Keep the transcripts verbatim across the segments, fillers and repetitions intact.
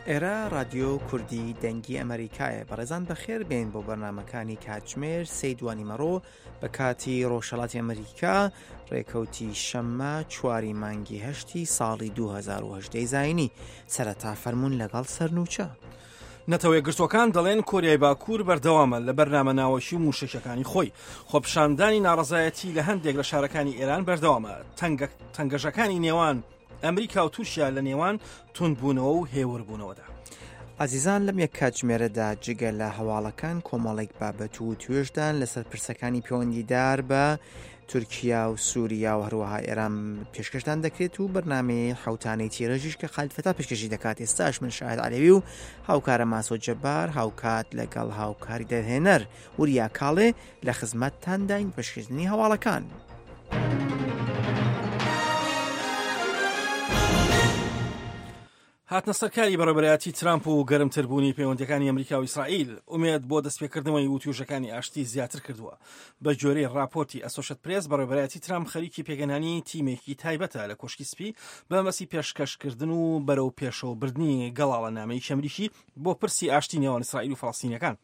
ئێرە رادیۆ کوردی دەنگی ئەمریکایە. بەڕێزان بەخێر بێن بۆ بەرنامەکانی کاتژمێر سێی دوانیمەڕۆ بە کاتی ڕۆژهەڵاتی ئەمریکا، ڕێکەوتی شەممە چواری مانگی هەشتی ساڵی دوو هەزار و هەژدە زایینی. سەرەتا فەرمونون لەگەڵ سەرنوچە. نەتەوە یەکگرتووەکان دەڵێن کۆریای باکوور بەردەوامە لە بەرنامە ناوەکی و موشەکەکانی خۆی. خۆپیشاندانی ناڕەزایەتی لە هەندێک لە شارەکانی ئێران بەردەوامە. تەنگەژەکانی نێوان ئەمریکا و تورکیا لە نێوان توندبوونەوە و هێوربوونەوەدا. عزیزان لەم یەک کاتژمێرەدا جگە لە هەواڵەکان کۆمەڵێک بابەت و توێژدان لەسەر پرسەکانی پەیوەندیدار بە تورکیا و سووریا و هەروەها ئێران پێشکەشدان دەکرێت و بەرنامەی حوتانەی تیرەژیش کە خالید فەتا پێشکەشی دەکات. ئێستاش من شاهد عەلەوی و هاوکارە ماسۆ جەبار هاوکات لەگەڵ هاوکاری دەرهێنەر وریا کاڵێ لە خزمەتتانداین پێشکەشکردنی هەواڵەکان. هاتنە سەرکاری بەڕێوەبەرایەتی ترامپ و گەرمتربوونی پەیوەندیەکانی ئەمریکا و ئیسرائیل ئومێد بۆ دەستپێکردنەوەی وتوێژەکانی ئاشتی زیاتر کردووە. بە گوێرەی راپۆرتی ئەسۆشیت پرێس، بەڕێوەبەرایەتی ترامپ خەریکی پێگەنانی تیمێکی تایبەتە لە کۆشکی سپی بە مەبەستی پێشکەشکردن و بەرەو پێشەوەبردنی گەڵاڵەنامەی ئەمریکی بۆ پرسی ئاشتی نێوان ئیسرائیل و فەڵەستینیەکان.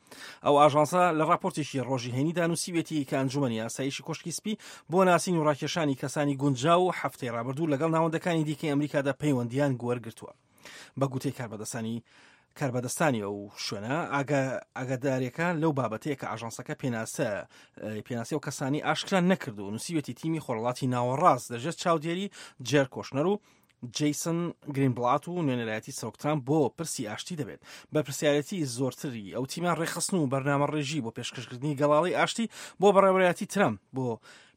ئەو ئاژانسە لە راپۆرتێکی ڕۆژی هەینیدا نووسیوێتی کە ئەنجومەنی ئاسایشی کۆشکی سپی بۆ ناسین و ڕاکێشانی کەسانی گونجاو و هەفتەی ڕابردوو لەگەڵ ناوەندەکانی دیکەی ئەمریکادا پەیوەندیان وەرگرتووە. بە گوتەی کاربەدەستانی کاربەدەستانی ئەو شوێنە ئاگادارێکە لەو بابەتەیە کە ئاژانسەکە پێناسە پێناسی و کەسانی ئاشکرا نەکردو و نووسیوێتی تیمی خۆڕڵاتی ناوەڕاست لەژێر چاودێری جێر کۆشنەر و جیسن گرینبلات و نوێنەرایەتی سەرۆک ترامپ بۆ پرسی ئاشتی دەبێت. بە پرسیارەتی زۆرتری ئەو تیمان ڕێکخستن و بەرنامە ڕێژی بۆ پێشکەشکردنی گەڵاڵی ئاشتی بۆ بەڕێوەبەرایەتی ترامپ بۆ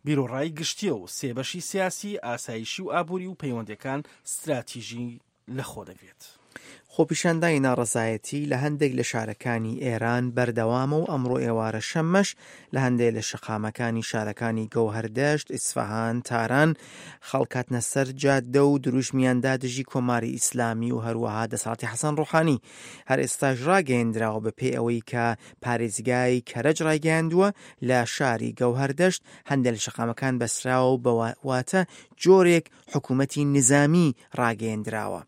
بیرۆڕای گشتیە و سێبەشی سیاسی، ئاسایشی و ئابووری و پەیوەندەکان ستراتیژی لەخۆ دەگرێت. خۆپیشاندانی ناڕەزایەتی لە هەندێک لە شارەکانی ئێران بەردەوامە و ئەمڕۆ ئێوارە شەممەش لە هەندێک لە شەقامەکانی شارەکانی گەوهەردەشت، ئیسفەهان، تاران خەڵکاتنە سەر جادە و دروشمیاندا دژی کۆماری ئیسلامی و هەروەها دەسەڵاتی حەسەن ڕۆحانی. هەر ئێستاش ڕاگەیەندراوە بەپێی ئەوەی کە پارێزگای کەرەج ڕایگەیاندووە لە شاری گەوهەردەشت هەندێک لە شەقامەکان بەسراوە و بەواتە جۆرێک حکوومەتی نظامی ڕاگەیەندراوە.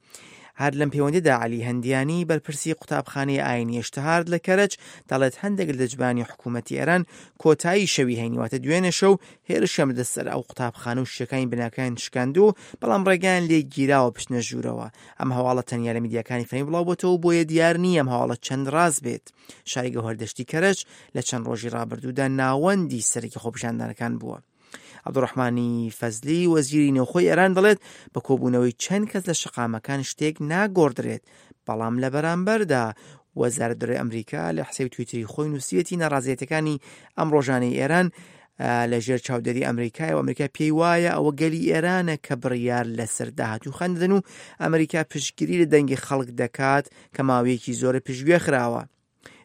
هەر لەم پەیوەندیدا عەلی هەندیانی بەرپرسی قوتابخانەی ئاینی ئیشتهارد لە کەرەج دەڵێت هەندێک لە دەجبانی حکوومەتی ئێران کۆتایی شەوی هەینی واتە دوێنێ شەو هێرشیان بردە سەر ئەو قوتابخانە و شیشەکانی بناکان شکاندوو، بەڵام ڕێگایان لێ گیراوە بچنە ژوورەوە. ئەم هەواڵە تەنیا لە میدیاکانی فەرمی بڵاو بۆتەوە، بۆیە دیار نییە ئەم هەواڵە چەند ڕاست بێت. شاری گەوهەردەشتی کەرەج لە چەند ڕۆژی ڕابردوودا ناوەندی سەرەکی خۆپیشاندانەکان بووە. عەبدوڕەحمانی فەزلی وەزیری نێوخۆی ئێران دەڵێت بە کۆبوونەوەی چەند کەس لە شەقامەکان شتێک ناگۆڕدرێت، بەڵام لە بەرامبەردا وەزارەت دەرەوەی ئەمریکا لە حسێبی تویتری خۆی نووسیویەتی ناڕازیەتەکانی ئەم ڕۆژانەی ئێران لە ژێر چاودێری ئەمریکای و ئەمریکا پێی وایە ئەوە گەلی ئێرانە کە بڕیار لەسەر داهاتوو خەندن و ئەمریکا پشتگیری لە دەنگی خەڵک دەکات کە ماوەیەکی زۆرە پشتگوێ خراوە.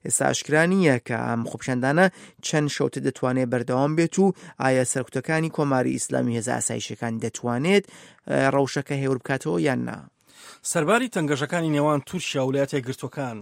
ئێستا ئاشکرا نییە کە ئەم خۆپیشاندانە چەند شەوتە دەتوانێت بەردەوام بێت و ئایا سەرکوتەکانی کۆماری ئیسلامی هێزە ئاسایشەکان دەتوانێت ڕەوشەکە هێور بکاتەوە یان نا. سەرباری تەنگەژەکانی نێوان تورکیا و ویلایەتە یەکگرتووەکان،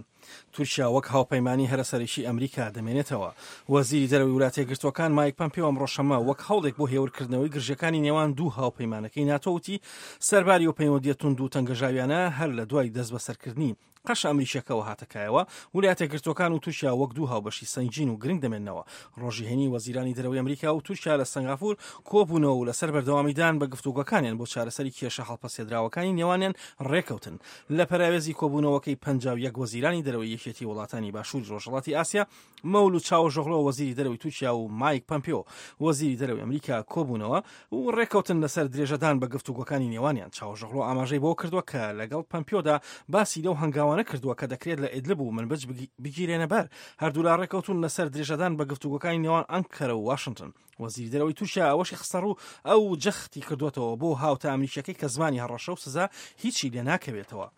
تورکیا وەک هاوپەیمانی هەرە سەرەکی ئەمریکا دەمێنێتەوە. وەزیری دەرەوەی ویلایەتە یەکگرتووەکان مایک پەمپیۆ ئەمڕۆ شەممە وەک هەوڵێک بۆ هێورکردنەوەی گرژیەکانی نێوان دوو هاوپەیمانەکەی ناتۆ وتی سەرباری و پەیوەندیە توند و تەنگەژاویانە هەر لە دوای دەستبەسەرکردنی قەشە ئەمریکیەکەوە هاتەکایەوە، ویلایەتە یەکگرتووەکان و تورکیا وەک دوو هاوبەشی سەنگین و گرنگ دەمێننەوە. ڕۆژی هەینی وەزیرانی دەرەوەی ئەمریکا و تورکیا لە سەنگافور کۆبوونەوە و لەسەر بەردەوامیدان بە گفتوگۆکانیان بۆ چارەسەری کێشە هەڵپەسێدراوەکانی نێوانیان ڕێکەوتن. لە پەراوێزی کۆبوونەوەکەی پەنجا و یەک وەزیرانی دەرەوەی یەکێتی وڵاتانی باشووری ڕۆژهەڵاتی ئاسیا، مەولود چاوشئۆغلۆ وەزیری دەرەوەی تورکیا و مایک پەمپیۆ وەزیری دەرەوەی ئەمریکا کۆبوونەوە و ڕێکەوتن لەسەر درێژەدان بە گفتوگۆکانی نێوانیان. چاوشئۆغلۆ ئاماژەی بۆ کردووە کە لەگەڵ پەمپیۆدا باسی لەو هەنگاوانە کردووە کە دەکرێت لە ئیدلب و منبج بگیرێنە بەر. هەردوولا ڕێکەوتون لەسەر درێژەدان بە گفتوگۆکانی نێوان ئەنکەرە و واشنگتن. وەزیری دەرەوەی تورکیا ئەوەشی خستەڕوو ئەو جەختی کردووەتەوە بۆ هاوتا ئەمریکیەکەی کە زمانی هەڕەشە و سزا هیچی لێ ناکەوێتەوە.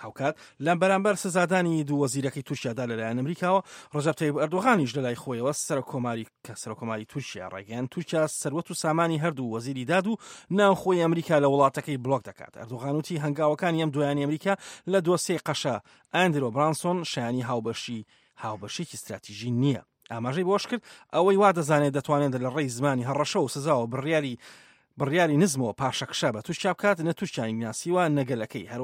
هاوکات لەم بەرامبەر سزادانی دوو وەزیرەکەی تورکیادا لەلایەن ئەمریکاوە، ڕەجەب تەیب ئەردۆغانیش لەلای خۆیەوە سەرۆککۆماری کە سەرۆککۆماری تورکیا ڕایگەیاند تورکیا سەروەت و سامانی هەردوو وەزیری داد و ناوخۆی ئەمریکا لە وڵاتەکەی بلۆک دەکات. ئەردۆغان وتی هەنگاوەکانی ئەم دوایانی ئەمریکا لە دۆسیەی قەشە ئەندرۆ برانسۆن شایانی هاوبەشی هاوبەشێکی استراتیژی نییە. ئاماژەی بۆش کرد ئەوەی وا دەزانێت دەتوانێت لە ڕێی زمانی هەڕەشە و سزاوە بڕیاری بڕیاری نزمەوە پاشەکشە بە تورکیا بکات، نە تورکیانی ناسیوە نەگەلەکەی. هەروەها